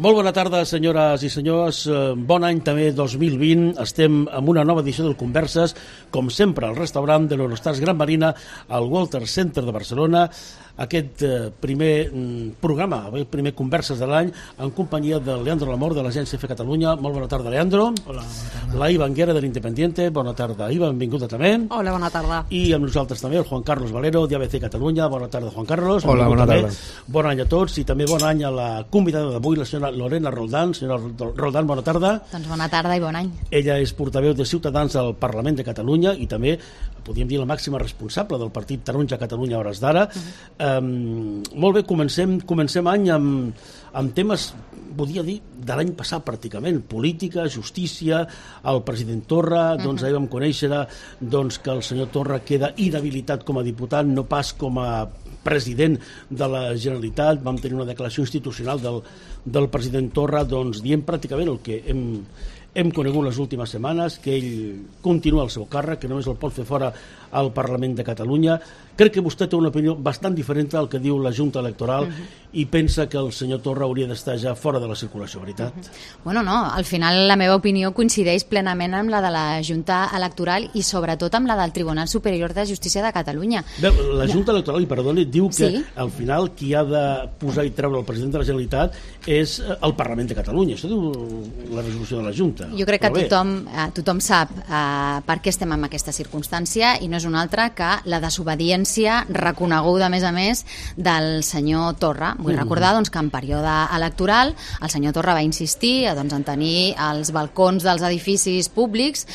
Molt bona tarda, senyores i senyors. Bon any també 2020. Estem en una nova edició del Converses, com sempre, al restaurant de l'Eurostars Gran Marina, al Walter Center de Barcelona. Aquest primer programa, el primer Converses de l'any, en companyia de Leandro Lamor, de l'Agència F Catalunya. Molt bona tarda, Leandro. Hola, bona tarda. La Iva Anguera, de l'Independiente. Bona tarda, Iva, benvinguda també. Hola, bona tarda. I amb nosaltres també el Juan Carlos Valero, d'ABC Catalunya. Bona tarda, Juan Carlos. Hola, bona tarda. Bon any a tots i també bon any a la convidada d'avui, la senyora Lorena Roldán. Senyora Roldán, bona tarda. Doncs bona tarda i bon any. Ella és portaveu de Ciutadans al Parlament de Catalunya i també, podríem dir, la màxima responsable del partit Taronja Catalunya a hores d'ara. Molt bé, comencem any amb temes, podria dir, de l'any passat pràcticament, política, justícia, el president Torra. Doncs ahir vam conèixer que el senyor Torra queda inhabilitat com a diputat, no pas com a president de la Generalitat. Vam tenir una declaració institucional del president Torra dient pràcticament el que hem conegut les últimes setmanes, que ell continua el seu càrrec, que només el pot fer fora al Parlament de Catalunya. Crec que vostè té una opinió bastant diferent al que diu la Junta Electoral i pensa que el senyor Torra hauria d'estar ja fora de la circulació, veritat? Bueno, no, al final la meva opinió coincideix plenament amb la de la Junta Electoral i sobretot amb la del Tribunal Superior de Justícia de Catalunya. Bé, la Junta Electoral, i perdoni, diu que al final qui ha de posar i treure el president de la Generalitat és el Parlament de Catalunya. Això diu la resolució de la Junta. Jo crec que tothom sap per què estem en aquesta circumstància i no és una altra que la desobediència reconeguda, a més, del senyor Torra. Vull recordar que en període electoral el senyor Torra va insistir en tenir els balcons dels edificis públics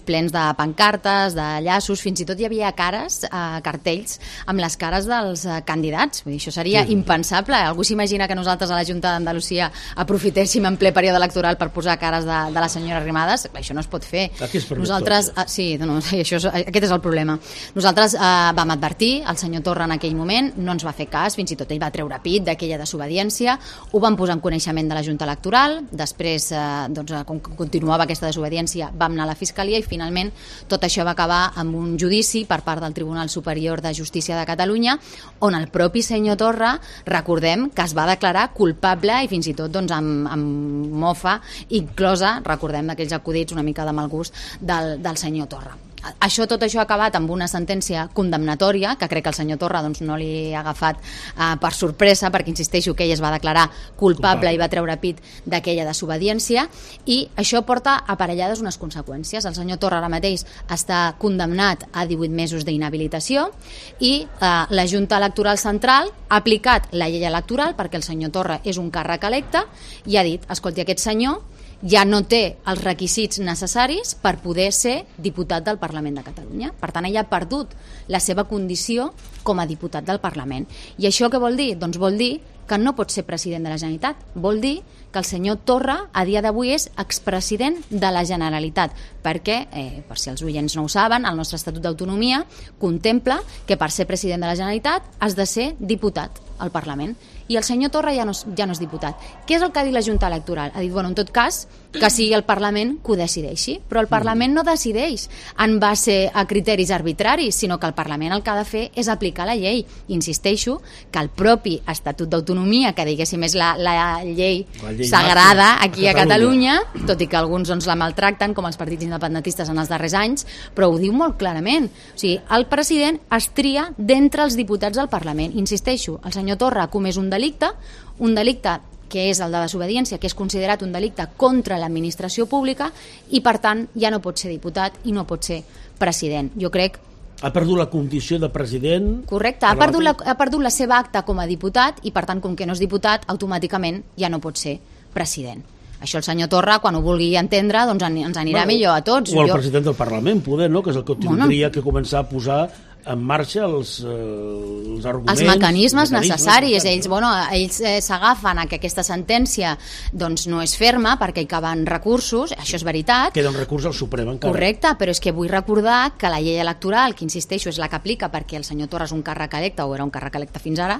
plens de pancartes, de llaços, fins i tot hi havia cartells amb les cares dels candidats. Vull dir, això seria impensable. Algú s'imagina que nosaltres a la Junta d'Andalusia aprofitéssim en ple període electoral per posar cares de la senyora Arrimadas? Això no es pot fer. Nosaltres, aquest és el problema. Nosaltres vam advertir al senyor Torra en aquell moment, no ens va fer cas, fins i tot ell va treure pit d'aquella desobediència, ho vam posar en coneixement de la Junta Electoral, després, com que continuava aquesta desobediència, vam anar a la Fiscalia i finalment tot això va acabar amb un judici per part del Tribunal Superior de Justícia de Catalunya, on el propi senyor Torra, recordem que es va declarar culpable i fins i tot amb mofa inclosa, recordem d'aquells acudits una mica de mal gust del senyor Torra. Tot això ha acabat amb una sentència condemnatòria, que crec que el senyor Torra no li ha agafat per sorpresa, perquè insisteixo que ell es va declarar culpable i va treure pit d'aquella desobediència, i això porta aparellades unes conseqüències. El senyor Torra ara mateix està condemnat a 18 mesos d'inhabilitació i la Junta Electoral Central ha aplicat la llei electoral perquè el senyor Torra és un càrrec electe i ha dit, escolti, aquest senyor ja no té els requisits necessaris per poder ser diputat del Parlament de Catalunya. Per tant, ell ha perdut la seva condició com a diputat del Parlament. I això què vol dir? Doncs vol dir que no pot ser president de la Generalitat. Vol dir que el senyor Torra a dia d'avui és expresident de la Generalitat, perquè, per si els oients no ho saben, el nostre Estatut d'Autonomia contempla que per ser president de la Generalitat has de ser diputat al Parlament. I el senyor Torra ja no és diputat. Què és el que ha dit la Junta Electoral? Ha dit, en tot cas, que sigui el Parlament que ho decideixi, però el Parlament no decideix en base a criteris arbitraris, sinó que el Parlament el que ha de fer és aplicar la llei. Insisteixo que el propi Estatut d'Autonomia, que diguéssim és la llei sagrada aquí a Catalunya, tot i que alguns la maltracten, com els partits independentistes en els darrers anys, però ho diu molt clarament. O sigui, el president es tria d'entre els diputats del Parlament. Insisteixo, el senyor Torra ha comès un delicte que és el de desobediència, que és considerat un delicte contra l'administració pública i, per tant, ja no pot ser diputat i no pot ser president. Jo crec... Ha perdut la condició de president... Correcte, ha perdut la seva acta com a diputat i, per tant, com que no és diputat, automàticament ja no pot ser president. Això el senyor Torra, quan ho vulgui entendre, ens anirà millor a tots. O el president del Parlament, poder, no? Que és el que tindria que començar a posar en marxa els arguments... Els mecanismes necessaris. Ells s'agafen a que aquesta sentència no és ferma perquè hi caben recursos, això és veritat. Queda un recurs al Suprem encara. Correcte, però és que vull recordar que la llei electoral, que insisteixo és la que aplica perquè el senyor Torra és un càrrec electe o era un càrrec electe fins ara,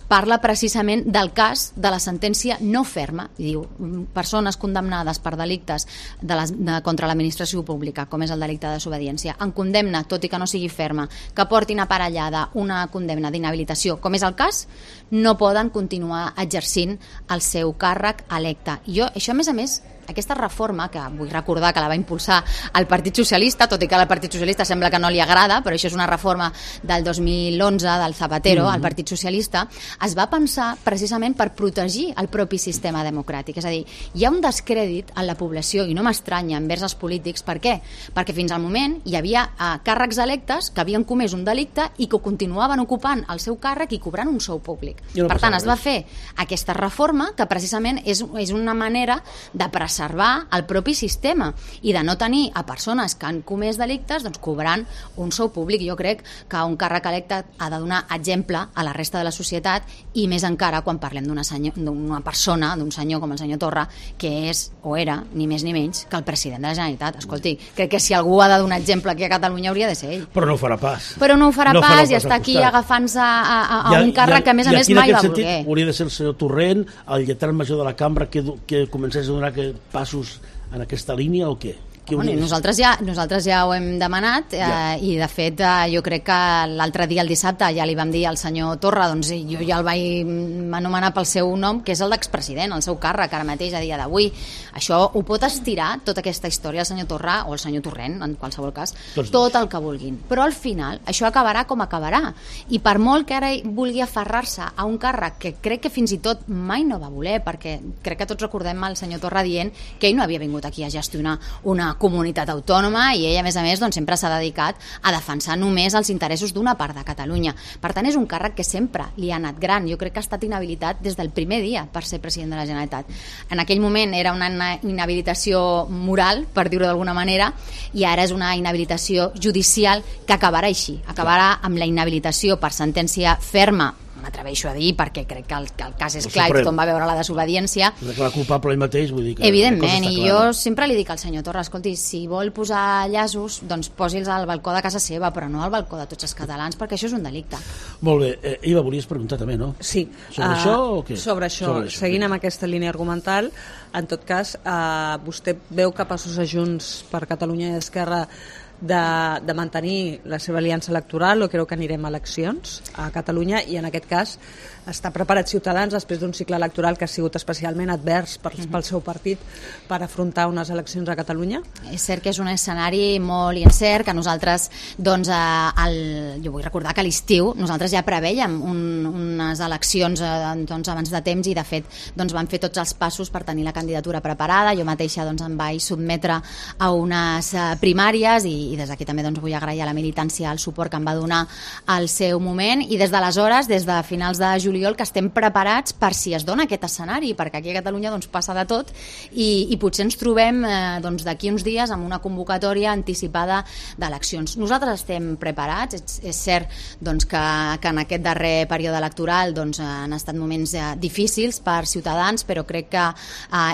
parla precisament del cas de la sentència no ferma. I diu, persones condemnades per delictes contra l'administració pública, com és el delicte de desobediència, en condemna, tot i que no sigui ferma, que portin aparellada una condemna d'inhabilitació, com és el cas, no poden continuar exercint el seu càrrec electe. I jo, això a més, aquesta reforma, que vull recordar que la va impulsar el Partit Socialista, tot i que al Partit Socialista sembla que no li agrada, però això és una reforma del 2011 del Zapatero, al Partit Socialista, es va pensar precisament per protegir el propi sistema democràtic. És a dir, hi ha un descrèdit en la població, i no m'estranya, envers els polítics. Per què? Perquè fins al moment hi havia càrrecs electes que havien comès un delicte i que continuaven ocupant el seu càrrec i cobrant un sou públic. Per tant, es va fer aquesta reforma que precisament és una manera de preservar el propi sistema i de no tenir a persones que han comès delictes cobrant un sou públic. Jo crec que un càrrec electe ha de donar exemple a la resta de la societat, i més encara quan parlem d'una persona, d'un senyor com el senyor Torra, que és o era ni més ni menys que el president de la Generalitat. Escolti, crec que si algú ha de donar exemple aquí a Catalunya hauria de ser ell. Però no ho farà pas. Però no ho farà pas i està aquí agafant-se a un càrrec que a més mai va voler. Hauria de ser el senyor Torrent, el lletrat major de la cambra, que comencés a donar passos en aquesta línia, o què? Nosaltres ja ho hem demanat, i de fet jo crec que l'altre dia, el dissabte, ja li vam dir al senyor Torra, doncs jo ja el vaig anomenar pel seu nom, que és el d'expresident, el seu càrrec ara mateix a dia d'avui. Això ho pot estirar, tota aquesta història, el senyor Torra o el senyor Torrent, en qualsevol cas, tot el que vulguin, però al final això acabarà com acabarà, i per molt que ara vulgui aferrar-se a un càrrec que crec que fins i tot mai no va voler, perquè crec que tots recordem el senyor Torra dient que ell no havia vingut aquí a gestionar una comunitat autònoma, i ell a més sempre s'ha dedicat a defensar només els interessos d'una part de Catalunya. Per tant, és un càrrec que sempre li ha anat gran. Jo crec que ha estat inhabilitat des del primer dia per ser president de la Generalitat. En aquell moment era una inhabilitació moral, per dir-ho d'alguna manera, i ara és una inhabilitació judicial que acabarà així. Acabarà amb la inhabilitació per sentència ferma, m'atreveixo a dir, perquè crec que el cas és clar i tothom va veure la desobediència. La culpable ell mateix, vull dir que... Evidentment, i jo sempre li dic al senyor Torra, escolti, si vol posar llaços, doncs posi'ls al balcó de casa seva, però no al balcó de tots els catalans, perquè això és un delicte. Molt bé. Iva, volies preguntar també, no? Sí. Sobre això o què? Sobre això. Seguint amb aquesta línia argumental, en tot cas, vostè veu capaços a Junts per Catalunya i Esquerra de mantenir la seva aliança electoral, o creu que anirem a eleccions a Catalunya, i en aquest cas està preparat Ciutadans després d'un cicle electoral que ha sigut especialment advers pel seu partit per afrontar unes eleccions a Catalunya? És cert que és un escenari molt incert, que nosaltres jo vull recordar que a l'estiu nosaltres ja prevèiem unes eleccions abans de temps, i de fet van fer tots els passos per tenir la candidatura preparada. Jo mateixa em vaig sotmetre a unes primàries, i des d'aquí també vull agrair a la militància el suport que em va donar al seu moment, i des d'aleshores, des de finals de juliol, que estem preparats per si es dona aquest escenari, perquè aquí a Catalunya passa de tot, i potser ens trobem d'aquí uns dies amb una convocatòria anticipada d'eleccions. Nosaltres estem preparats. És cert que en aquest darrer període electoral han estat moments difícils per Ciutadans, però crec que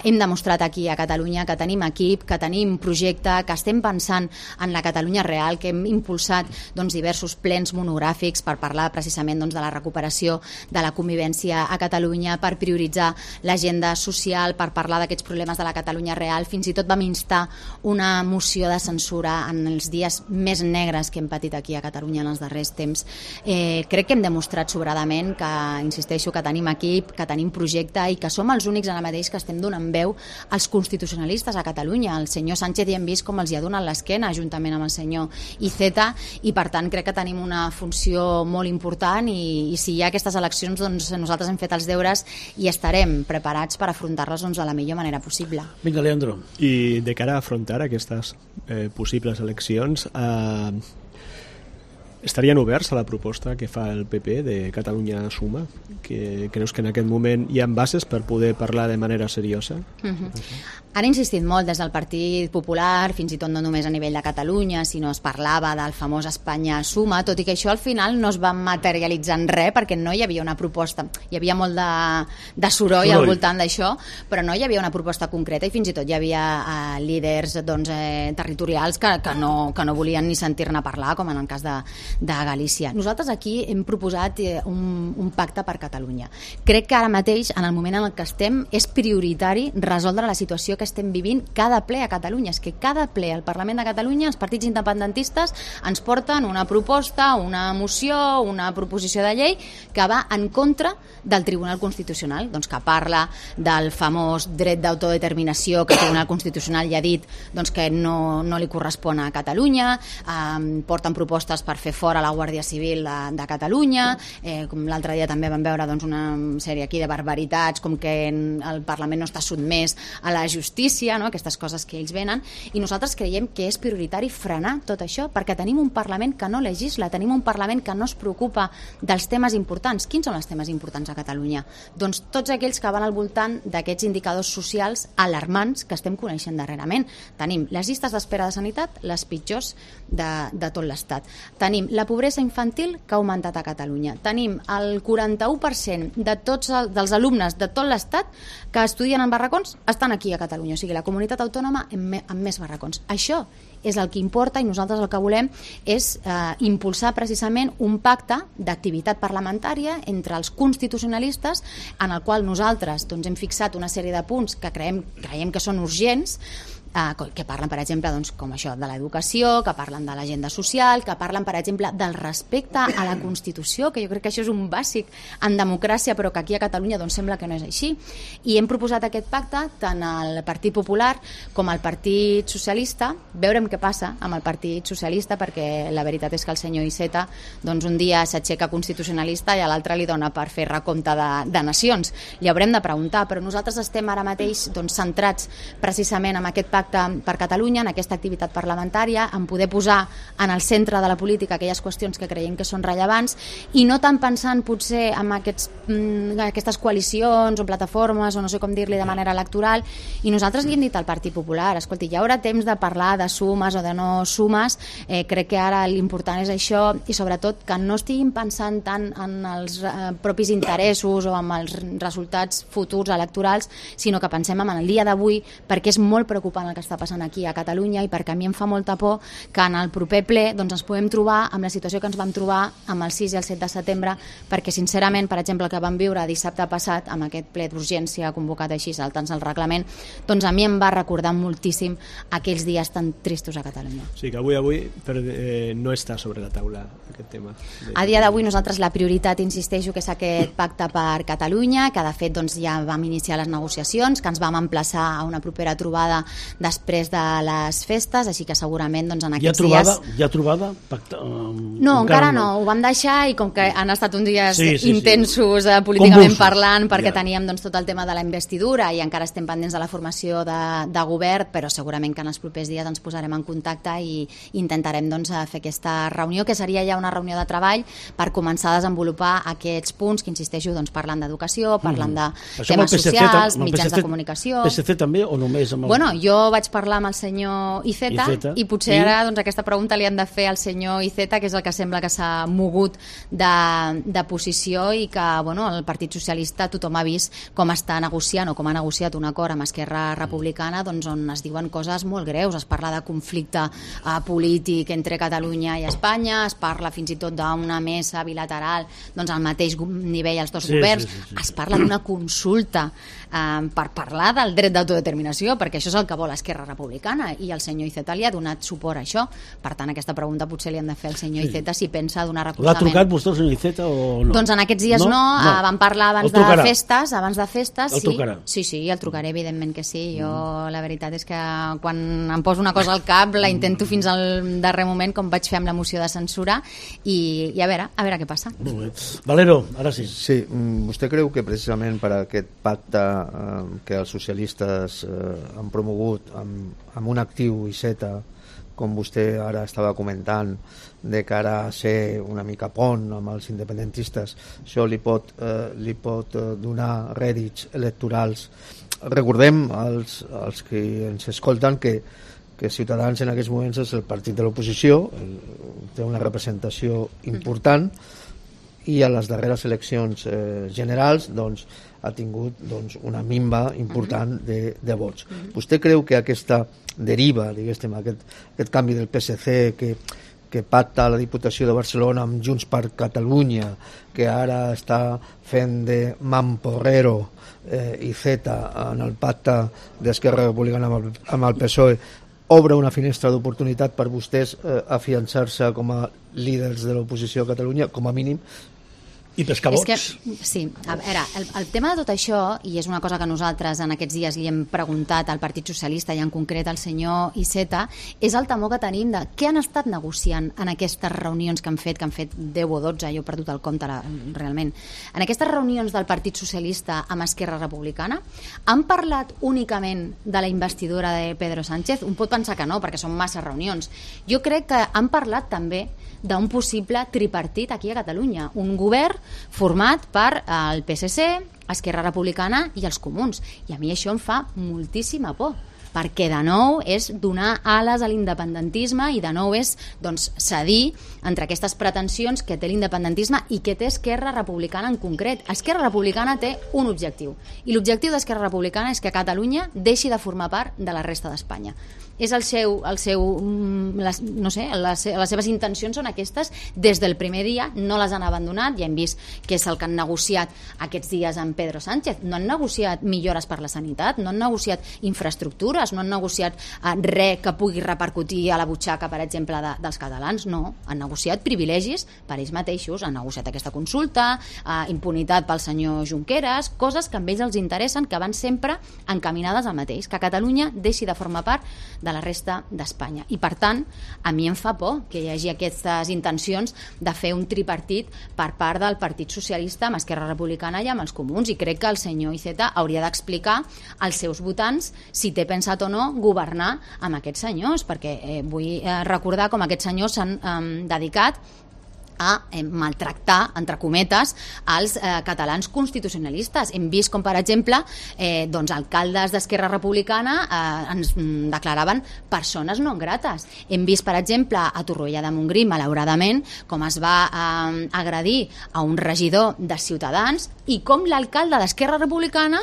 hem demostrat aquí a Catalunya que tenim equip, que tenim projecte, que estem pensant en la Catalunya real, que hem impulsat diversos plens monogràfics per parlar precisament de la recuperació de la convivència a Catalunya, per prioritzar l'agenda social, per parlar d'aquests problemes de la Catalunya real. Fins i tot vam instar una moció de censura en els dies més negres que hem patit aquí a Catalunya en els darrers temps. Crec que hem demostrat sobradament que, insisteixo, que tenim equip, que tenim projecte, i que som els únics ara mateix que estem donant veu als constitucionalistes a Catalunya. El senyor Sánchez ja hem vist com els hi ha donat l'esquena juntament amb el senyor Iceta, i per tant crec que tenim una funció molt important, i si hi ha aquestes eleccions, nosaltres hem fet els deures i estarem preparats per afrontar-les de la millor manera possible. Vinga, Leandro. I de cara a afrontar aquestes possibles eleccions, estarien oberts a la proposta que fa el PP de Catalunya Suma? Que creus que en aquest moment hi ha bases per poder parlar de manera seriosa? Han insistit molt des del Partit Popular, fins i tot no només a nivell de Catalunya, sinó es parlava del famós Espanya Suma, tot i que això al final no es va materialitzar en res, perquè no hi havia una proposta. Hi havia molt de soroll al voltant d'això, però no hi havia una proposta concreta, i fins i tot hi havia líders territorials que no volien ni sentir-ne parlar, com en el cas de Galícia. Nosaltres aquí hem proposat un pacte per Catalunya. Crec que ara mateix, en el moment en el que estem, és prioritari resoldre la situació que estem vivint cada ple a Catalunya. És que cada ple al Parlament de Catalunya els partits independentistes ens porten una proposta, una moció, una proposició de llei que va en contra del Tribunal Constitucional, doncs que parla del famós dret d'autodeterminació que el Tribunal Constitucional ja ha dit doncs que no li correspon a Catalunya, porten propostes per fer fora la Guàrdia Civil de Catalunya, com l'altre dia també vam veure doncs, una sèrie aquí de barbaritats, com que el Parlament no està sotmès a la justícia, no? Aquestes coses que ells venen, i nosaltres creiem que és prioritari frenar tot això, perquè tenim un Parlament que no legisla, tenim un Parlament que no es preocupa dels temes importants. Quins són els temes importants a Catalunya? Doncs tots aquells que van al voltant d'aquests indicadors socials alarmants que estem coneixent darrerament. Tenim les llistes d'espera de sanitat, les pitjors de tot l'Estat. Tenim la pobresa infantil que ha augmentat a Catalunya. Tenim el 41% de tots dels alumnes de tot l'Estat que estudien en barracons estan aquí a Catalunya, o sigui, la comunitat autònoma amb més barracons. Això és el que importa i nosaltres el que volem és impulsar precisament un pacte d'activitat parlamentària entre els constitucionalistes en el qual nosaltres doncs, hem fixat una sèrie de punts que creiem que són urgents, que parlen, per exemple, doncs, com això de l'educació, que parlen de l'agenda social, que parlen, per exemple, del respecte a la Constitució, que jo crec que això és un bàsic en democràcia, però que aquí a Catalunya doncs, sembla que no és així. I hem proposat aquest pacte tant al Partit Popular com al Partit Socialista. Veurem què passa amb el Partit Socialista, perquè la veritat és que el senyor Iceta doncs, un dia s'aixeca constitucionalista i a l'altre li dona per fer recompte de nacions. Li haurem de preguntar, però nosaltres estem ara mateix doncs, centrats precisament en aquest pacte per Catalunya, en aquesta activitat parlamentària, en poder posar en el centre de la política aquelles qüestions que creiem que són rellevants i no tant pensant potser en aquestes coalicions o plataformes o no sé com dir-li de manera electoral. I nosaltres li hem dit al Partit Popular, escolti, hi haurà temps de parlar de sumes o de no sumes, crec que ara l'important és això i sobretot que no estiguin pensant tant en els propis interessos o en els resultats futurs electorals, sinó que pensem en el dia d'avui, perquè és molt preocupant el que està passant aquí a Catalunya i perquè a mi em fa molta por que en el proper ple doncs, ens podem trobar amb la situació que ens vam trobar amb el 6 i el 7 de setembre, perquè sincerament, per exemple, el que vam viure dissabte passat amb aquest ple d'urgència convocat així, saltant-se el reglament, doncs a mi em va recordar moltíssim aquells dies tan tristos a Catalunya. Sí, que avui no està sobre la taula aquest tema. A dia d'avui nosaltres la prioritat, insisteixo, que és aquest pacte per Catalunya, que de fet doncs, ja vam iniciar les negociacions, que ens vam emplaçar a una propera trobada després de les festes, així que segurament doncs, en aquests dies... Hi ha trobada? No, encara no, ho vam deixar i com que han estat uns dies intensos políticament parlant, perquè teníem doncs, tot el tema de la investidura i encara estem pendents de la formació de govern, però segurament que en els propers dies ens posarem en contacte i intentarem doncs, fer aquesta reunió, que seria ja una reunió de treball per començar a desenvolupar aquests punts que, insisteixo, doncs, parlen d'educació, parlen de temes socials, mitjans de comunicació... PSC també o només amb el... Bueno, jo vaig parlar amb el senyor Iceta i potser ara doncs, aquesta pregunta li han de fer al senyor Iceta, que és el que sembla que s'ha mogut de posició i que bueno, el Partit Socialista tothom ha vist com està negociant o com ha negociat un acord amb Esquerra Republicana doncs, on es diuen coses molt greus, es parla de conflicte polític entre Catalunya i Espanya, es parla fins i tot d'una mesa bilateral doncs, al mateix nivell als dos governs, es parla d'una consulta per parlar del dret d'autodeterminació, perquè això és el que vol Esquerra Republicana i el senyor Iceta li ha donat suport a això. Per tant, aquesta pregunta potser li han de fer al senyor Iceta si pensa donar recolzament. L'ha trucat vostè al senyor Iceta o no? Doncs en aquests dies no. Vam parlar abans de festes. El trucarà? Sí, el trucaré, evidentment que sí. Jo la veritat és que quan em poso una cosa al cap la intento fins al darrer moment, com vaig fer amb la moció de censura i a veure què passa. Molt bé. Valero, ara sí. Sí, vostè creu que precisament per aquest pacte que els socialistes han promogut amb un actiu Iceta, com vostè ara estava comentant, de cara a ser una mica pont amb els independentistes, això li pot donar rèdits electorals. Recordem als que ens escolten que Ciutadans en aquests moments és el partit de l'oposició, té una representació important i a les darreres eleccions generals doncs, ha tingut doncs, una minva important de vots. Vostè creu que aquesta deriva, diguéssim, aquest canvi del PSC que que pacta la Diputació de Barcelona amb Junts per Catalunya, que ara està fent de mamporrero i Z en el pacte d'Esquerra Republicana amb el PSOE, obre una finestra d'oportunitat per vostès afiançar-se com a líders de l'oposició a Catalunya, com a mínim. I pescar vots. Sí, a veure, el tema de tot això, i és una cosa que nosaltres en aquests dies li hem preguntat al Partit Socialista i en concret al senyor Iceta, és el temor que tenim de què han estat negociant en aquestes reunions que han fet 10 o 12, jo he perdut el compte realment. En aquestes reunions del Partit Socialista amb Esquerra Republicana han parlat únicament de la investidura de Pedro Sánchez? Un pot pensar que no, perquè són massa reunions. Jo crec que han parlat també d'un possible tripartit aquí a Catalunya, un govern format per el PSC, Esquerra Republicana i els Comuns. I a mi això em fa moltíssima por, perquè de nou és donar ales a l'independentisme i de nou és cedir entre aquestes pretensions que té l'independentisme i que té Esquerra Republicana en concret. Esquerra Republicana té un objectiu, i l'objectiu d'Esquerra Republicana és que Catalunya deixi de formar part de la resta d'Espanya. És les seves intencions són aquestes des del primer dia, no les han abandonat. Ja hem vist que és el que han negociat aquests dies amb Pedro Sánchez. No han negociat millores per la sanitat, no han negociat infraestructures, no han negociat res que pugui repercutir a la butxaca, per exemple, dels catalans. No, han negociat privilegis per ells mateixos, han negociat aquesta consulta, impunitat pel senyor Junqueras, coses que a ells els interessen, que van sempre encaminades al mateix, que Catalunya deixi de formar part de la resta d'Espanya. I per tant, a mi em fa por que hi hagi aquestes intencions de fer un tripartit per part del Partit Socialista amb Esquerra Republicana i amb els Comuns, i crec que el senyor Iceta hauria d'explicar als seus votants si té pensat o no governar amb aquests senyors, perquè vull recordar com aquests senyors s'han dedicat a maltractar, entre cometes, els catalans constitucionalistes. Hem vist com, per exemple, alcaldes d'Esquerra Republicana ens declaraven persones no grates. Hem vist, per exemple, a Torroella de Montgrí, malauradament, com es va agredir a un regidor de Ciutadans i com l'alcalde d'Esquerra Republicana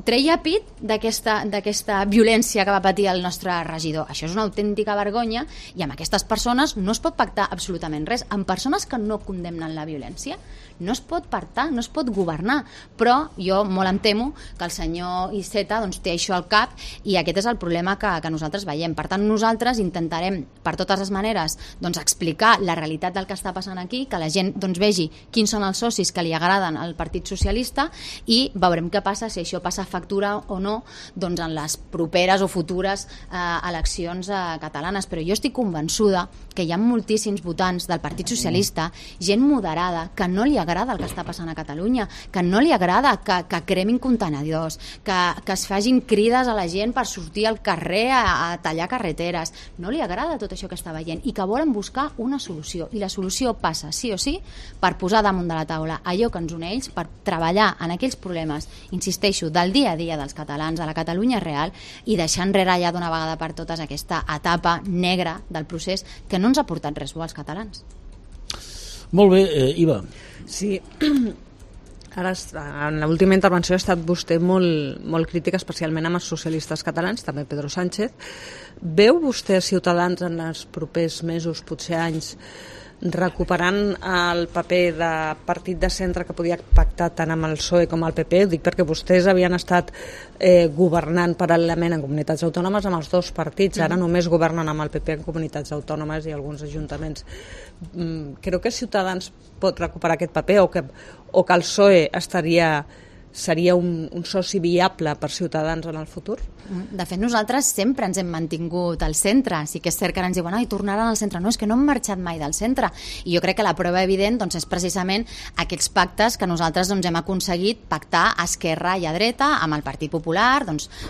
treia pit d'aquesta violència que va patir el nostre regidor. Això és una autèntica vergonya, i amb aquestes persones no es pot pactar absolutament res. Amb persones que no condemnen la violència no es pot pactar, no es pot governar. Però jo molt em temo que el senyor Iceta té això al cap, i aquest és el problema que nosaltres veiem. Per tant, nosaltres intentarem per totes les maneres explicar la realitat del que està passant aquí, que la gent vegi quins són els socis que li agraden al Partit Socialista, i veurem què passa, si això passa factura o no en les properes o futures eleccions catalanes. Però jo estic convençuda que hi ha moltíssims votants del Partit Socialista, gent moderada, que no li agrada el que està passant a Catalunya, que no li agrada que cremin contenidors, que es facin crides a la gent per sortir al carrer a tallar carreteres. No li agrada tot això que està veient, i que volen buscar una solució, i la solució passa sí o sí per posar damunt de la taula allò que ens uneix, per treballar en aquells problemes, insisteixo, del dia a dia dels catalans, a la Catalunya real, i deixar enrere ja d'una vegada per totes aquesta etapa negra del procés que no ens ha portat res bo als catalans. Molt bé, Iva. Sí, ara en l'última intervenció ha estat vostè molt crítica, especialment amb els socialistes catalans, també Pedro Sánchez. Veu vostè Ciutadans en els propers mesos, potser anys, recuperant el paper de partit de centre que podia pactar tant amb el PSOE com el PP? Ho dic perquè vostès havien estat governant paral·lelament en comunitats autònomes amb els dos partits, ara només governen amb el PP en comunitats autònomes i alguns ajuntaments. Creu que Ciutadans pot recuperar aquest paper, o que el PSOE seria un soci viable per Ciutadans en el futur? De fet, nosaltres sempre ens hem mantingut al centre. Sí que és cert que ara ens diuen tornaran al centre. No, és que no hem marxat mai del centre. I jo crec que la prova evident és precisament aquests pactes que nosaltres hem aconseguit pactar a esquerra i a dreta amb el Partit Popular,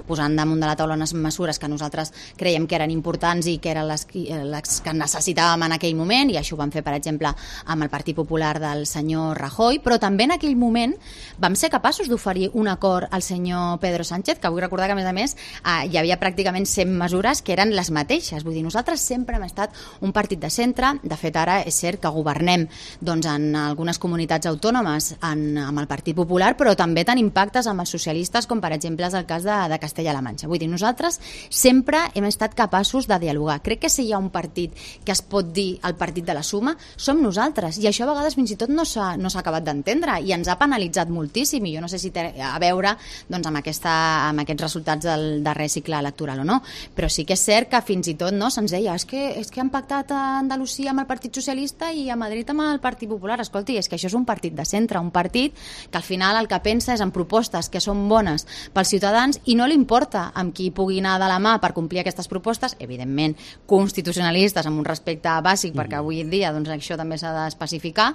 posant damunt de la taula unes mesures que nosaltres creiem que eren importants i que eren les que necessitàvem en aquell moment, i això ho vam fer, per exemple, amb el Partit Popular del senyor Rajoy, però també en aquell moment vam ser capaços d'oferir un acord al senyor Pedro Sánchez, que vull recordar que, a més, hi havia pràcticament 100 mesures que eren les mateixes. Vull dir, nosaltres sempre hem estat un partit de centre. De fet, ara és cert que governem doncs, en algunes comunitats autònomes amb el Partit Popular, però també tenim pactes amb els socialistes, com per exemple és el cas de Castella-La Manxa. Vull dir, nosaltres sempre hem estat capaços de dialogar. Crec que si hi ha un partit que es pot dir el partit de la suma, som nosaltres. I això a vegades fins i tot no s'ha acabat d'entendre i ens ha penalitzat moltíssim. I jo no sé si té a veure doncs, amb aquests resultats del darrer cicle electoral o no. Però sí que és cert que fins i tot se'ns deia és que han pactat a Andalusia amb el Partit Socialista i a Madrid amb el Partit Popular. Escolti, és que això és un partit de centre, un partit que al final el que pensa és en propostes que són bones pels ciutadans i no li importa amb qui pugui anar de la mà per complir aquestes propostes, evidentment constitucionalistes amb un respecte bàsic, perquè avui en dia doncs, això també s'ha d'especificar,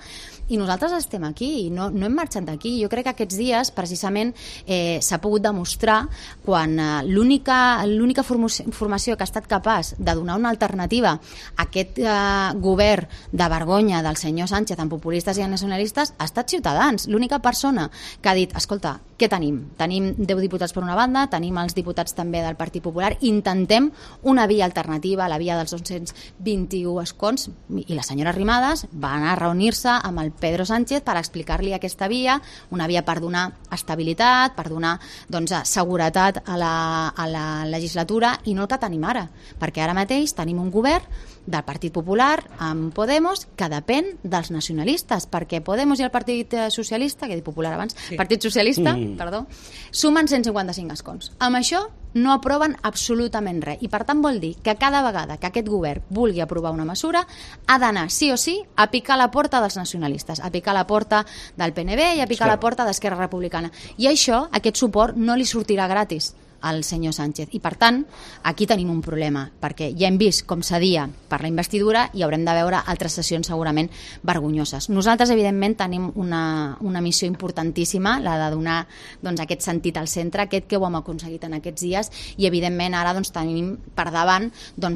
i nosaltres estem aquí, no hem marxat d'aquí. Jo crec que aquests dies precisament s'ha pogut demostrar quan l'única formació que ha estat capaç de donar una alternativa a aquest govern de vergonya del senyor Sánchez amb populistes i nacionalistes ha estat Ciutadans. L'única persona que ha dit, escolta, què tenim? Tenim 10 diputats per una banda, tenim els diputats també del Partit Popular, intentem una via alternativa, la via dels 221 escons, i la senyora Arrimadas va anar a reunir-se amb el Pedro Sánchez per explicar-li aquesta via, una via per donar estabilitat, per donar seguretat a la legislatura, i no el que tenim ara, perquè ara mateix tenim un govern del Partit Popular amb Podemos que depèn dels nacionalistes, perquè Podemos i el Partit Socialista, que he dit Popular abans, sí. Partit Socialista, perdó, sumen 155 escons. Amb això no aproven absolutament res, i per tant vol dir que cada vegada que aquest govern vulgui aprovar una mesura ha d'anar sí o sí a picar la porta dels nacionalistes, a picar la porta del PNB i a picar la porta d'Esquerra Republicana, i això, aquest suport no li sortirà gratis al senyor Sánchez. I per tant, aquí tenim un problema, perquè ja hem vist com cedia per la investidura i haurem de veure altres sessions segurament vergonyoses. Nosaltres, evidentment, tenim una missió importantíssima, la de donar aquest sentit al centre, aquest que ho hem aconseguit en aquests dies, i evidentment ara tenim per davant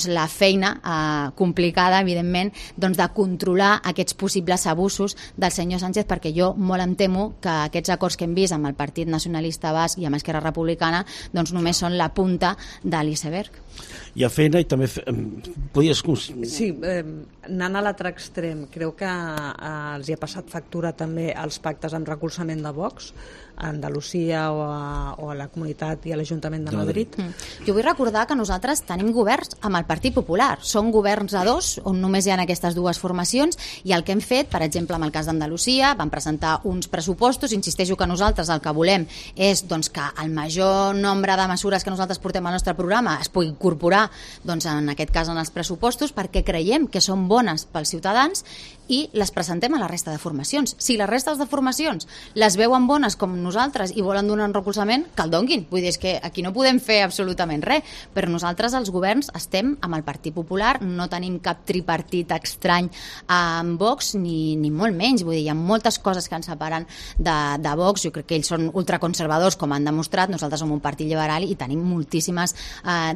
la feina complicada, evidentment, de controlar aquests possibles abusos del senyor Sánchez, perquè jo molt em temo que aquests acords que hem vist amb el Partit Nacionalista Basc i amb Esquerra Republicana només són la punta de l'iceberg. Hi ha feina i també podies... Sí, anant a l'altre extrem, creu que els hi ha passat factura també els pactes amb recolzament de Vox a Andalusia o a la Comunitat i a l'Ajuntament de Madrid? Jo vull recordar que nosaltres tenim governs amb el Partit Popular. Són governs a dos, on només hi ha aquestes dues formacions, i el que hem fet, per exemple, amb el cas d'Andalusia, vam presentar uns pressupostos. Insisteixo que nosaltres el que volem és que el major nombre de mesures que nosaltres portem al nostre programa es pugui incorporar, en aquest cas, en els pressupostos, perquè creiem que són bones pels ciutadans i les presentem a la resta de formacions. Si les restes de formacions les veuen bones com nosaltres i volen donar un recolzament, que el donguin. Vull dir, és que aquí no podem fer absolutament res, però nosaltres els governs estem amb el Partit Popular, no tenim cap tripartit estrany amb Vox, ni molt menys. Vull dir, hi ha moltes coses que ens separen de Vox. Jo crec que ells són ultraconservadors, com han demostrat. Nosaltres som un partit liberal i tenim moltíssimes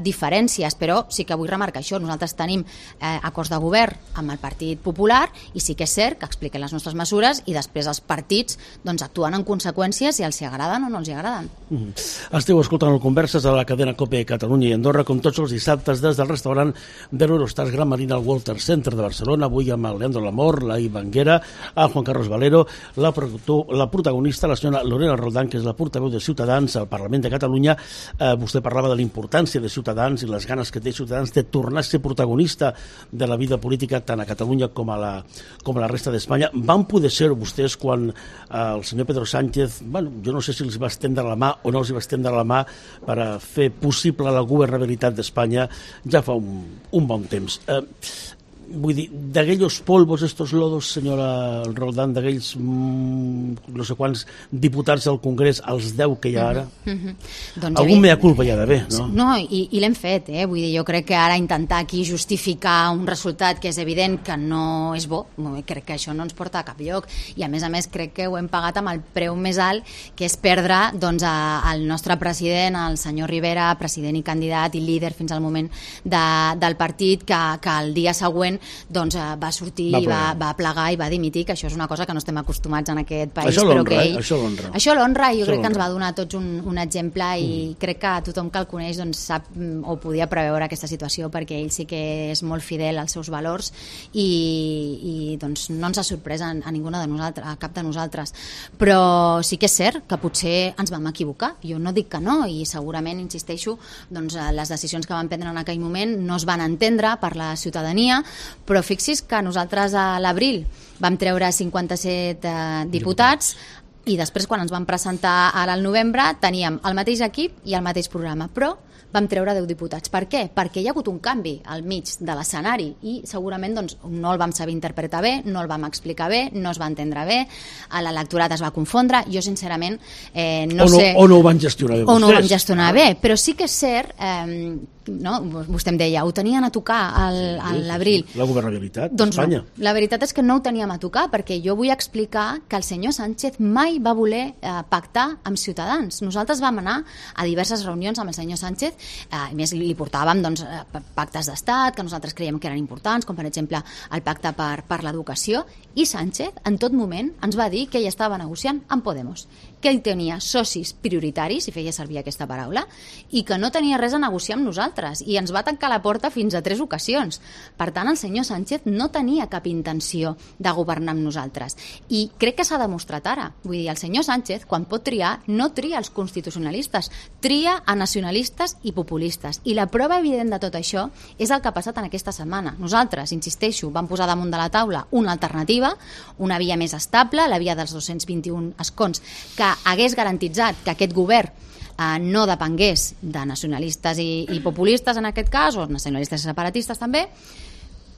diferències, però sí que vull remarcar això. Nosaltres tenim acords de govern amb el Partit Popular i sí que és cert que expliquen les nostres mesures i després els partits actuen en conseqüència si els hi agraden o no els hi agraden. Esteu escoltant el Converses a la cadena COPE Catalunya i Andorra, com tots els dissabtes des del restaurant de l'Eurostars Gran Marina al Walter Center de Barcelona, avui amb el Leandro Lamor, la Ivanguera, el Juan Carlos Valero, la protagonista, la senyora Lorena Roldán, que és la portaveu de Ciutadans al Parlament de Catalunya. Vostè parlava de la importància de Ciutadans i les ganes que té Ciutadans de tornar a ser protagonista de la vida política tant a Catalunya com a la resta d'Espanya. Van poder ser vostès quan el senyor Pedro Sánchez, jo no sé si els va estendre la mà o no els va estendre la mà per a fer possible la governabilitat d'Espanya ja fa un bon temps. Vull dir, d'aquells polvos, estos lodos, senyora Roldán, d'aquells no sé quants diputats al Congrés, els 10 que hi ha ara, algun mea culpa hi ha d'haver, no? No, i l'hem fet, vull dir, jo crec que ara intentar aquí justificar un resultat que és evident que no és bo, crec que això no ens porta a cap lloc, i a més crec que ho hem pagat amb el preu més alt, que és perdre el nostre president, el senyor Rivera, president i candidat i líder fins al moment del partit, que el dia següent doncs va sortir i va plegar i va dimitir, que això és una cosa que no estem acostumats en aquest país. Això però l'honra, que ell... Això l'honra, i jo crec que ens va donar tots un exemple, i crec que tothom que el coneix doncs, sap o podia preveure aquesta situació, perquè ell sí que és molt fidel als seus valors i doncs, no ens ha sorprès a ninguna de nosaltres, a cap de nosaltres, però sí que és cert que potser ens vam equivocar, jo no dic que no, i segurament, insisteixo, doncs, les decisions que van prendre en aquell moment no es van entendre per la ciutadania, però fixi's que nosaltres a l'abril vam treure 57 diputats, i després quan ens vam presentar ara al novembre teníem el mateix equip i el mateix programa, però vam treure 10 diputats. Per què? Perquè hi ha hagut un canvi al mig de l'escenari i segurament doncs, no el vam saber interpretar bé, no el vam explicar bé, no es va entendre bé, l'electorat es va confondre. Jo sincerament no sé... O no ho van gestionar bé vostès. O no ho van gestionar bé, però sí que és cert... no? Vostè em deia, ho tenien a tocar a l'abril. La governabilitat No, d'Espanya. la veritat és que no ho teníem a tocar, perquè jo vull explicar que el senyor Sánchez mai va voler pactar amb Ciutadans. Nosaltres vam anar a diverses reunions amb el senyor Sánchez, a més li portàvem doncs, pactes d'estat que nosaltres creiem que eren importants, com per exemple el pacte per l'educació, i Sánchez en tot moment ens va dir que ell estava negociant amb Podemos, que ell tenia socis prioritaris, si feia servir aquesta paraula, i que no tenia res a negociar amb nosaltres, i ens va tancar la porta fins a 3 ocasions. Per tant, el senyor Sánchez no tenia cap intenció de governar amb nosaltres, i crec que s'ha demostrat ara. Vull dir, el senyor Sánchez, quan pot triar, no tria els constitucionalistes, tria a nacionalistes i populistes, i la prova evident de tot això és el que ha passat en aquesta setmana. Nosaltres, insisteixo, vam posar damunt de la taula una alternativa, una via més estable, la via dels 221 escons, que hagués garantitzat que aquest govern no depengués de nacionalistes i populistes en aquest cas, o nacionalistes i separatistes també,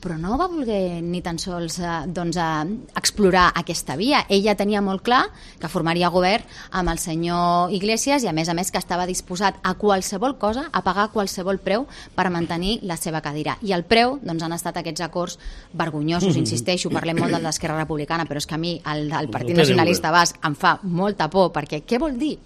però no va voler ni tan sols explorar aquesta via. Ella tenia molt clar que formaria govern amb el senyor Iglesias i a més que estava disposat a qualsevol cosa, a pagar qualsevol preu per mantenir la seva cadira. I el preu doncs, han estat aquests acords vergonyosos, insisteixo, parlem molt del d'Esquerra Republicana, però és que a mi el Partit Nacionalista Basc em fa molta por, perquè què vol dir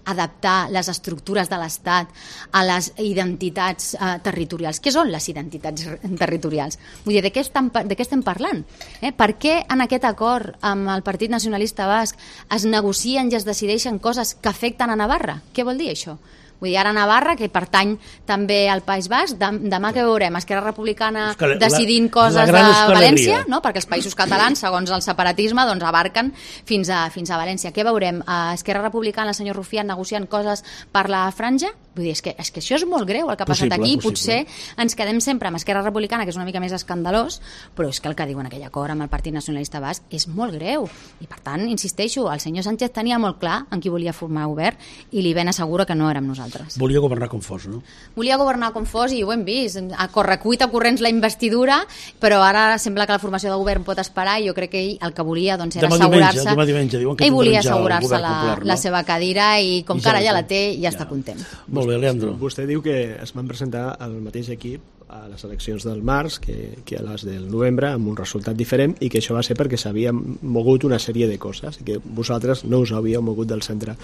adaptar les estructures de l'Estat a les identitats territorials? Què són les identitats territorials? Vull dir, de què estem parlant? Per què en aquest acord amb el Partit Nacionalista Basc es negocien i es decideixen coses que afecten a Navarra? Què vol dir això? Vull dir, ara Navarra, que pertany també al País Basc, demà que veurem Esquerra Republicana decidint coses a València, no? Perquè els països catalans, segons el separatisme, doncs abarquen fins a València. Què veurem? Esquerra Republicana, el senyor Rufián, negociant coses per la franja? Vull dir, és que això és molt greu el que ha passat aquí. Potser ens quedem sempre amb Esquerra Republicana, que és una mica més escandalós, però és que el que diuen aquell acord amb el Partit Nacionalista Basc és molt greu. I per tant, insisteixo, el senyor Sánchez tenia molt clar en qui volia formar govern i li ben asseguro que no érem nosaltres. Volia governar com fos, no? Volia governar com fos i ho hem vist. A correcuita corrents la investidura, però ara sembla que la formació de govern pot esperar i jo crec que ell el que volia doncs, era assegurar-se... Demà diumenge, diuen que ell volia assegurar-se la seva cadira i com que ara ja la té, ja està content. Molt bé, Leandro. Vostè diu que es van presentar el mateix equip a les eleccions del març que a les del novembre amb un resultat diferent i que això va ser perquè s'havia mogut una sèrie de coses i que vosaltres no us havíeu mogut del centre.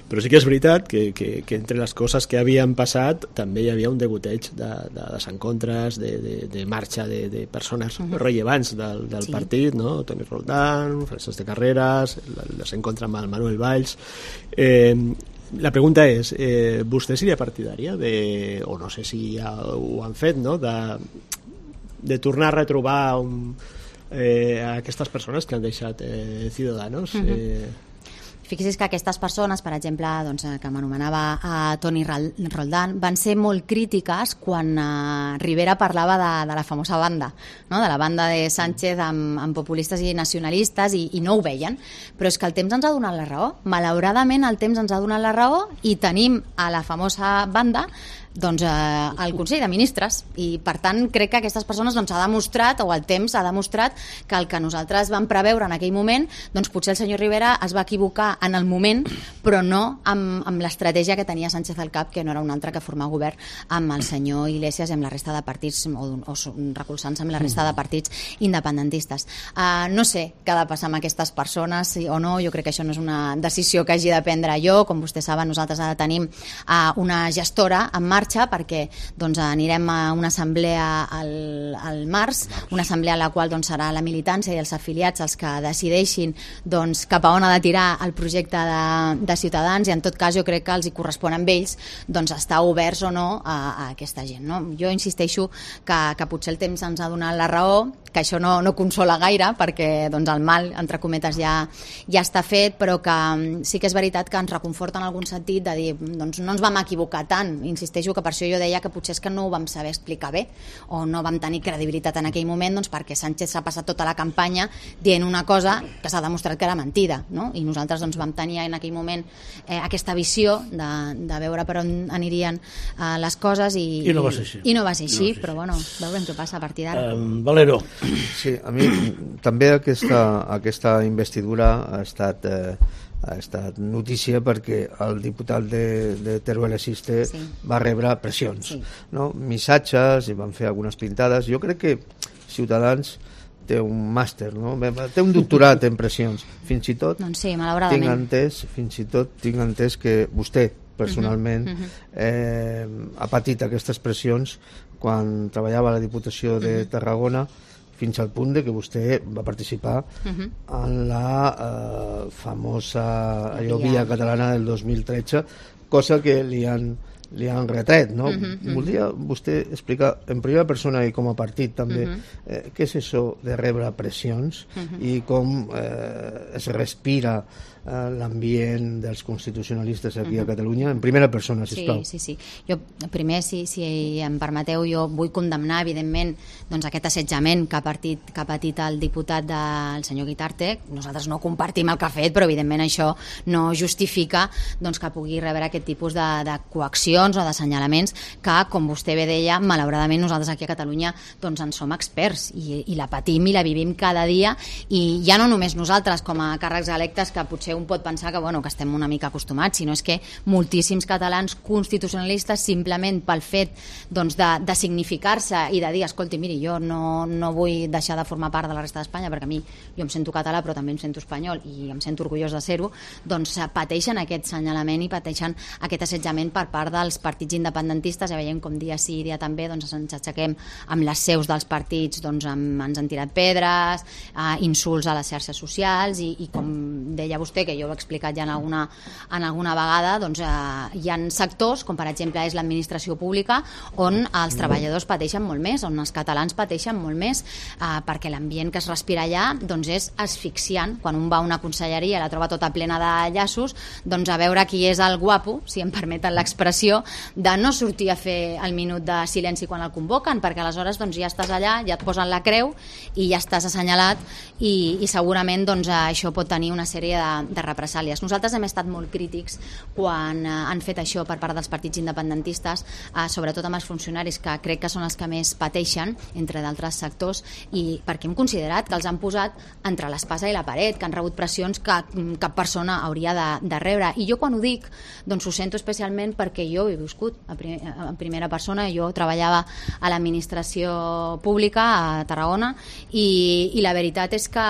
Però sí que és veritat que entre les coses que havien passat també hi havia un degoteig de desencontres, de marxa de persones rellevants del partit, no? Toni Roldán, Francesc de Carreras, el desencontre amb el Manuel Valls. La pregunta és, vostè seria partidària o no sé si ja ho han fet, no? de tornar a retrobar a aquestes persones que han deixat Ciudadanos? Fixi's que aquestes persones, per exemple, doncs, que m'anomenava Toni Roldán, van ser molt crítiques quan Rivera parlava de la famosa banda, no? De la banda de Sánchez amb populistes i nacionalistes, i no ho veien. Però és que el temps ens ha donat la raó. Malauradament, el temps ens ha donat la raó i tenim a la famosa banda doncs, al Consell de Ministres, i per tant crec que aquestes persones doncs, ha demostrat, o el temps ha demostrat, que el que nosaltres vam preveure en aquell moment, doncs potser el senyor Rivera es va equivocar en el moment, però no amb l'estratègia que tenia Sánchez al cap, que no era un altre que formar govern amb el senyor Iglesias i amb la resta de partits, o recolzant-se amb la resta de partits independentistes. No sé què ha de passar amb aquestes persones o no, jo crec que això no és una decisió que hagi de prendre jo. Com vostès saben, nosaltres ara tenim una gestora en marxa marxa perquè doncs, anirem a una assemblea al març, una assemblea en la qual doncs, serà la militància i els afiliats els que decideixin doncs, cap a on ha de tirar el projecte de Ciutadans, i en tot cas jo crec que els hi correspon a ells doncs, estar oberts o no a aquesta gent. No? Jo insisteixo que potser el temps ens ha donat la raó, que això no consola gaire perquè doncs, el mal, entre cometes, ja està fet, però que sí que és veritat que ens reconforta en algun sentit de dir doncs, no ens vam equivocar tant. Insisteixo que per això jo deia que potser és que no ho vam saber explicar bé o no vam tenir credibilitat en aquell moment, doncs, perquè Sánchez s'ha passat tota la campanya dient una cosa que s'ha demostrat que era mentida, no? I nosaltres doncs, vam tenir en aquell moment aquesta visió de veure per on anirien les coses i no va ser així. I no va ser així, però bueno, veurem què passa a partir d'ara. Valero. Sí, a mi també aquesta investidura ha estat notícia perquè el diputat de Teruel Existe va rebre pressions, no? Missatges, i van fer algunes pintades. Jo crec que Ciutadans té un màster, no? Té un doctorat en pressions. Fins i tot doncs sí, malauradament. tinc entès que vostè personalment ha patit aquestes pressions quan treballava a la Diputació de Tarragona, fins al punt de que vostè va participar en la famosa Via Catalana del 2013, cosa que li han retret, no? Voldria vostè explicar en primera persona i com a partit també què és això de rebre pressions i com es respira l'ambient dels constitucionalistes aquí a Catalunya, en primera persona, sisplau. Sí. Jo primer, si em permeteu, jo vull condemnar evidentment doncs, aquest assetjament que ha patit el diputat del senyor Guitarte. Nosaltres no compartim el que ha fet, però evidentment això no justifica doncs, que pugui rebre aquest tipus de coaccions o d'assenyalaments que, com vostè bé deia, malauradament nosaltres aquí a Catalunya doncs, en som experts i la patim i la vivim cada dia, i ja no només nosaltres com a càrrecs electes, que potser un pot pensar que estem una mica acostumats, sinó és que moltíssims catalans constitucionalistes, simplement pel fet doncs, de significar-se i de dir, escolti, miri, jo no vull deixar de formar part de la resta d'Espanya perquè a mi jo em sento català però també em sento espanyol i em sento orgullós de ser-ho, doncs pateixen aquest senyalament i pateixen aquest assetjament per part dels partits independentistes. Ja veiem com dia sí, dia també doncs, ens aixequem amb les seus dels partits, doncs, ens han tirat pedres, insults a les xarxes socials i com deia vostè, que jo ho he explicat ja en alguna vegada, doncs hi ha sectors, com per exemple és l'administració pública, on els treballadors pateixen molt més, on els catalans pateixen molt més, perquè l'ambient que es respira allà doncs és asfixiant. Quan un va a una conselleria i la troba tota plena de llaços, doncs a veure qui és el guapo, si em permeten l'expressió, de no sortir a fer el minut de silenci quan el convoquen, perquè aleshores doncs, ja estàs allà, ja et posen la creu i ja estàs assenyalat, i segurament doncs, això pot tenir una sèrie de represàlies. Nosaltres hem estat molt crítics quan han fet això per part dels partits independentistes, sobretot amb els funcionaris, que crec que són els que més pateixen, entre d'altres sectors, i perquè hem considerat que els han posat entre l'espasa i la paret, que han rebut pressions que cap persona hauria de rebre. I jo quan ho dic, doncs ho sento especialment perquè jo ho he viscut en primera persona. Jo treballava a l'administració pública a Tarragona i la veritat és que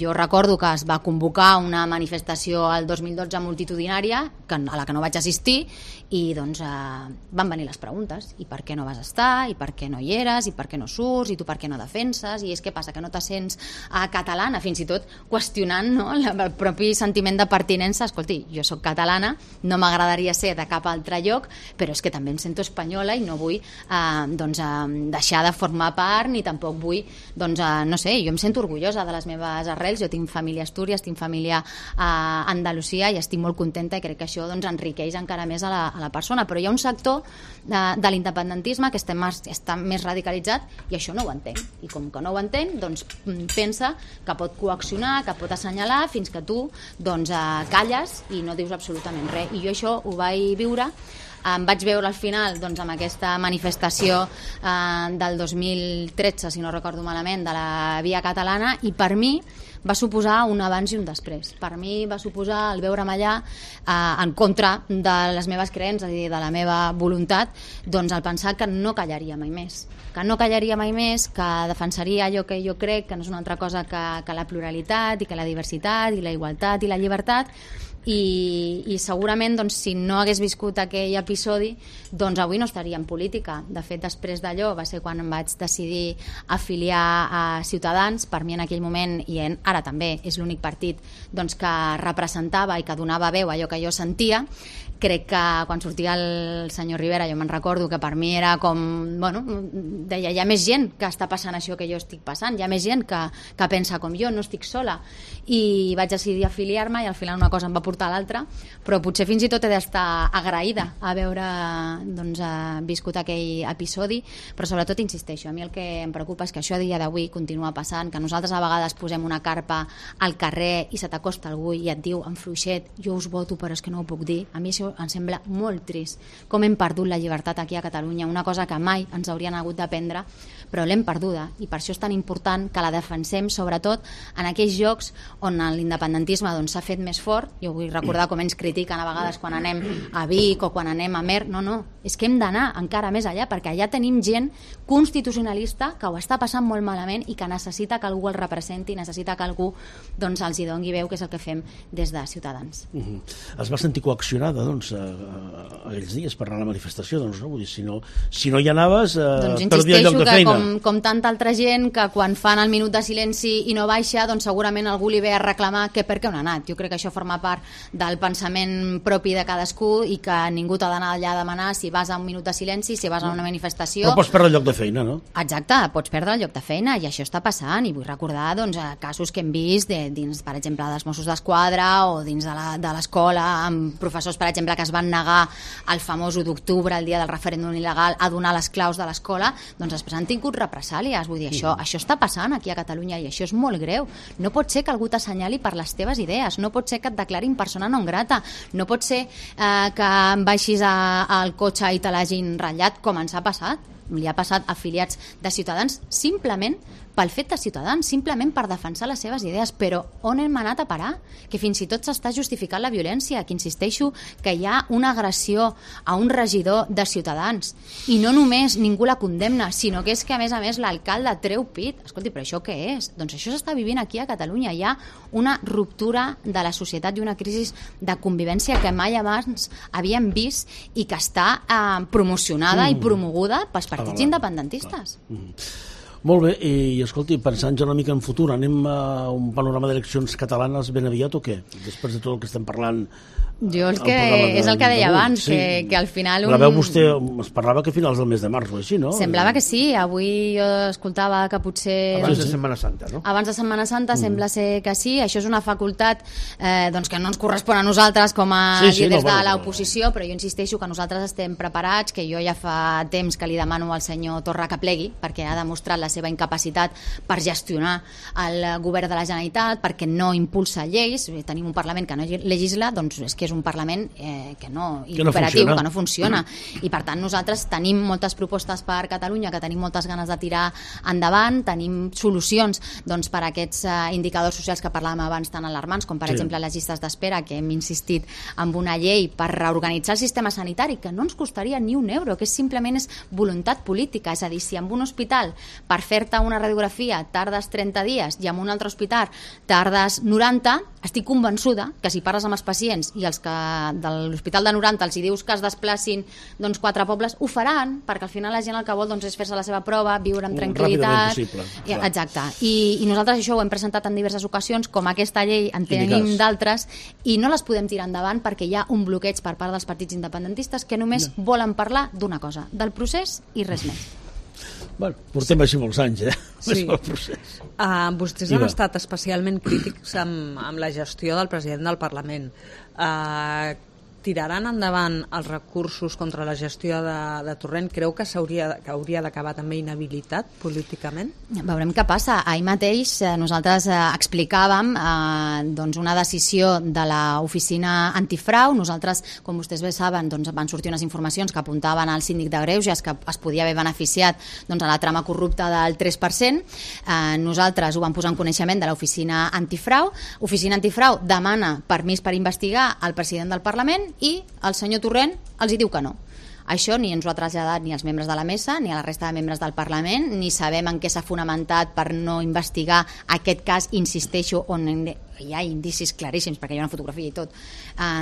jo recordo que es va convocar una manifestació al 2012 multitudinària a la que no vaig assistir, i doncs van venir les preguntes: i per què no vas estar, i per què no hi eres, i per què no surts, i tu per què no defenses, i és que passa que no te sents catalana, fins i tot qüestionant, no, el propi sentiment de pertinença. Escolti, jo sóc catalana, no m'agradaria ser de cap altre lloc, però és que també em sento espanyola i no vull deixar de formar part, ni tampoc vull, no sé, jo em sento orgullosa de les meves arrels. Jo tinc família a Astúries, tinc família a Andalusia, i estic molt contenta, i crec que això doncs, enriqueix encara més a la persona. Però hi ha un sector de l'independentisme que està més radicalitzat, i això no ho entén, i com que no ho entén, doncs pensa que pot coaccionar, que pot assenyalar, fins que tu doncs, calles i no dius absolutament res. I jo això ho vaig viure. Em vaig veure al final doncs, amb aquesta manifestació del 2013, si no recordo malament, de la Via Catalana, i per mi va suposar un abans i un després. Per mi va suposar el veure'm allà en contra de les meves creences, és a dir, de la meva voluntat, doncs el pensar que no callaria mai més, que defensaria allò que jo crec, que no és una altra cosa que la pluralitat i que la diversitat i la igualtat i la llibertat. I segurament doncs, si no hagués viscut aquell episodi, doncs avui no estaria en política. De fet, després d'allò va ser quan em vaig decidir afiliar a Ciutadans. Per mi en aquell moment, i ara també és l'únic partit doncs, que representava i que donava veu a allò que jo sentia. Crec que quan sortia el senyor Rivera jo me'n recordo que per mi era com, bueno, deia, hi ha més gent que està passant això que jo estic passant, hi ha més gent que pensa com jo, no estic sola, i vaig decidir afiliar-me i al final una cosa em va portar a l'altra, però potser fins i tot he d'estar agraïda a veure doncs, viscut aquell episodi, però sobretot insisteixo, a mi el que em preocupa és que això a dia d'avui continua passant, que nosaltres a vegades posem una carpa al carrer i se t'acosta algú i et diu en fluixet, jo us voto però és que no ho puc dir. A mi això em sembla molt trist, com hem perdut la llibertat aquí a Catalunya, una cosa que mai ens haurien hagut d'aprendre, però l'hem perduda, i per això és tan important que la defensem, sobretot en aquells llocs on l'independentisme doncs, s'ha fet més fort. Jo vull recordar com ens critiquen a vegades quan anem a Vic o quan anem a Mer. No, és que hem d'anar encara més allà, perquè allà tenim gent constitucionalista que ho està passant molt malament i que necessita que algú el representi, necessita que algú doncs, els hi doni veu, que és el que fem des de Ciutadans. Es va sentir coaccionada, doncs, aquells dies per anar a la manifestació, doncs, no? Vull dir, si no hi anaves, perdia el lloc de feina. Com tanta altra gent que quan fan el minut de silenci i no baixa, doncs segurament algú li ve a reclamar que per què no ha anat. Jo crec que això forma part del pensament propi de cadascú i que ningú t'ha d'anar allà a demanar si vas a un minut de silenci, si vas a una manifestació. Però pots perdre el lloc de feina, no? Exacte, pots perdre el lloc de feina i això està passant, i vull recordar doncs, casos que hem vist dins, per exemple, dels Mossos d'Esquadra o dins de l'escola, amb professors, per exemple, que es van negar al famós 1 d'octubre, el dia del referèndum il·legal, a donar les claus de l'escola, doncs després han tingut represàlies. Vull dir, això està passant aquí a Catalunya i això és molt greu. No pot ser que algú t'assenyali per les teves idees, no pot ser que et declarin persona non grata, no pot ser que baixis al cotxe i te l'hagin ratllat, com ens ha passat. Li ha passat a afiliats de Ciutadans simplement pel fet de Ciutadans, simplement per defensar les seves idees. Però on hem anat a parar? Que fins i tot s'està justificant la violència, que insisteixo que hi ha una agressió a un regidor de Ciutadans i no només ningú la condemna, sinó que és que a més l'alcalde treu pit. Escolti, però això què és? Doncs això s'està vivint aquí a Catalunya. Hi ha una ruptura de la societat i una crisi de convivència que mai abans havíem vist i que està promocionada i promoguda pels partits independentistes. Molt bé, i escolti, pensant ja una mica en futur, anem a un panorama d'eleccions catalanes ben aviat o què? Després de tot el que estem parlant... Jo és el que deia abans, sí. que al final... Veu vostè, es parlava que a finals del mes de març o així, no? Semblava que sí, avui jo escoltava que potser... Abans de Setmana Santa, no? Abans de Setmana Santa sembla ser que sí, això és una facultat doncs que no ens correspon a nosaltres com a líders de l'oposició, però jo insisteixo que nosaltres estem preparats, que jo ja fa temps que li demano al senyor Torra que plegui, perquè ha demostrat la seva incapacitat per gestionar el govern de la Generalitat, perquè no impulsa lleis. Tenim un Parlament que no legisla, doncs és que és un Parlament que no funciona. I per tant nosaltres tenim moltes propostes per Catalunya, que tenim moltes ganes de tirar endavant, tenim solucions doncs, per a aquests indicadors socials que parlàvem abans tan alarmants, com per exemple les llistes d'espera, que hem insistit en una llei per reorganitzar el sistema sanitari, que no ens costaria ni €1, que simplement és voluntat política. És a dir, si en un hospital per fer-te una radiografia tardes 30 dies i en un altre hospital tardes 90, estic convençuda que si parles amb els pacients i els que de l'hospital de 90 els hi dius que es desplacin doncs, 4 pobles, ho faran, perquè al final la gent el que vol doncs, és fer-se la seva prova, viure amb tranquil·litat. Exacte. I nosaltres això ho hem presentat en diverses ocasions, com aquesta llei en tenim d'altres, i no les podem tirar endavant perquè hi ha un bloqueig per part dels partits independentistes que només volen parlar d'una cosa, del procés i res més. Bueno, portem així molts anys, Sí. Vostès han estat especialment crítics amb la gestió del president del Parlament. tiraran endavant els recursos contra la gestió de Torrent? Creu que hauria d'acabar també inhabilitat políticament? Veurem què passa. Ahir mateix nosaltres explicàvem doncs una decisió de l'oficina antifrau. Nosaltres, com vostès bé saben, doncs van sortir unes informacions que apuntaven al síndic de Greuges que es podia haver beneficiat doncs, a la trama corrupta del 3%. Nosaltres ho vam posar en coneixement de l'oficina antifrau. L'oficina antifrau demana permís per investigar el president del Parlament i el senyor Torrent els hi diu que no. Això ni ens ho ha traslladat ni als membres de la mesa ni a la resta de membres del Parlament, ni sabem en què s'ha fonamentat per no investigar aquest cas, insisteixo, on hi ha indicis claríssims, perquè hi ha una fotografia i tot,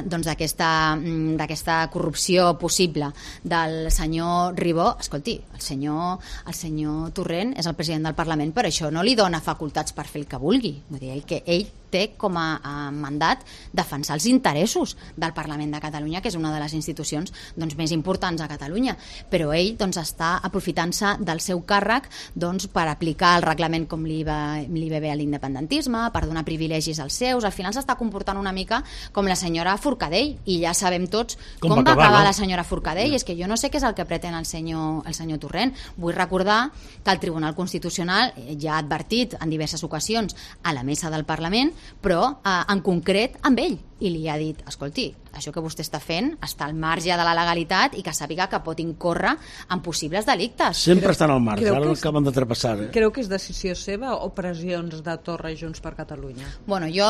doncs d'aquesta corrupció possible del senyor Ribó. Escolti, el senyor Torrent és el president del Parlament, però això no li dona facultats per fer el que vulgui. Vull dir, que ell té com a mandat defensar els interessos del Parlament de Catalunya, que és una de les institucions doncs, més importants a Catalunya, però ell doncs, està aprofitant-se del seu càrrec doncs, per aplicar el reglament com li ve bé a l'independentisme, per donar privilegis als seus. Al final s'està comportant una mica com la senyora Forcadell, i ja sabem tots com va acabar la senyora Forcadell. És que jo no sé què és el que pretén el senyor Torrent. Vull recordar que el Tribunal Constitucional ja ha advertit en diverses ocasions a la mesa del Parlament, però en concret amb ell, i li ha dit, escolti, això que vostè està fent està al marge de la legalitat i que sàpiga que pot incórrer en possibles delictes. Sempre estan al marge, ara acaben de trepassar. Creu que és decisió seva o pressions de Torra i Junts per Catalunya? Bueno, jo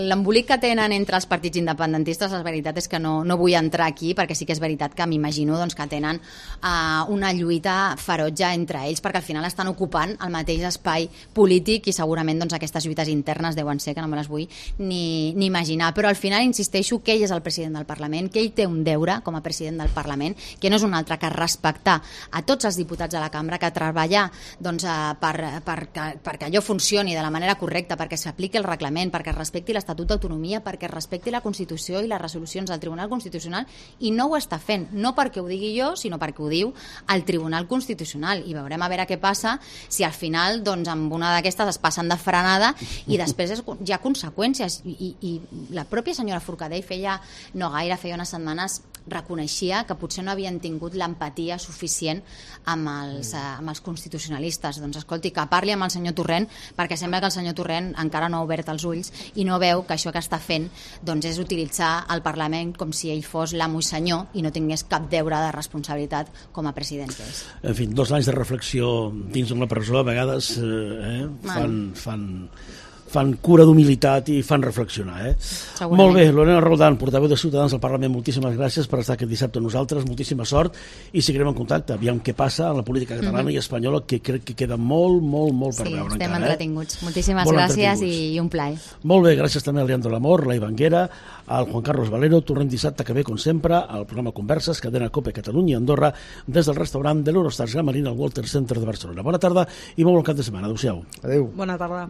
l'embolic que tenen entre els partits independentistes, la veritat és que no vull entrar aquí, perquè sí que és veritat que m'imagino doncs, que tenen una lluita ferotge entre ells, perquè al final estan ocupant el mateix espai polític i segurament doncs, aquestes lluites internes deuen ser que no me les vull ni imaginar, però al final insisteixo que ell és el president del Parlament, que ell té un deure com a president del Parlament, que no és un altre que respectar a tots els diputats de la cambra, que treballar doncs, perquè allò funcioni de la manera correcta, perquè s'apliqui el reglament, perquè es respecti l'Estatut d'Autonomia, perquè es respecti la Constitució i les resolucions del Tribunal Constitucional, i no ho està fent, no perquè ho digui jo, sinó perquè ho diu el Tribunal Constitucional, i veurem a veure què passa si al final doncs, amb una d'aquestes es passen de frenada i després hi ha conseqüències, i la pròpia senyora Forcadell feia unes setmanes reconeixia que potser no havien tingut l'empatia suficient amb els constitucionalistes. Doncs escolti, que parli amb el senyor Torrent, perquè sembla que el senyor Torrent encara no ha obert els ulls i no veu que això que està fent doncs, és utilitzar el Parlament com si ell fos l'amo i senyor i no tingués cap deure de responsabilitat com a president que és. En fi, 2 anys de reflexió dins d'una presó a vegades fan cura d'humilitat i fan reflexionar. Molt bé, Lorena Roldán, portaveu de Ciutadans al Parlament, moltíssimes gràcies per estar aquest dissabte amb nosaltres, moltíssima sort, i seguirem en contacte, aviam què passa a la política catalana i espanyola, que crec que queda molt per veure encara. Sí, estem entretinguts. Moltíssimes gràcies i un plaer. Molt bé, gràcies també a Leandro Lamor, la Ivanguera, al Juan Carlos Valero. Tornem dissabte que ve, com sempre, al programa Converses, cadena COPE Catalunya i Andorra, des del restaurant de l'Eurostars Gran Marina al Walter Center de Barcelona. Bona tarda i molt bon cap de setmana. Adéu-siau. Adéu. Bona tarda.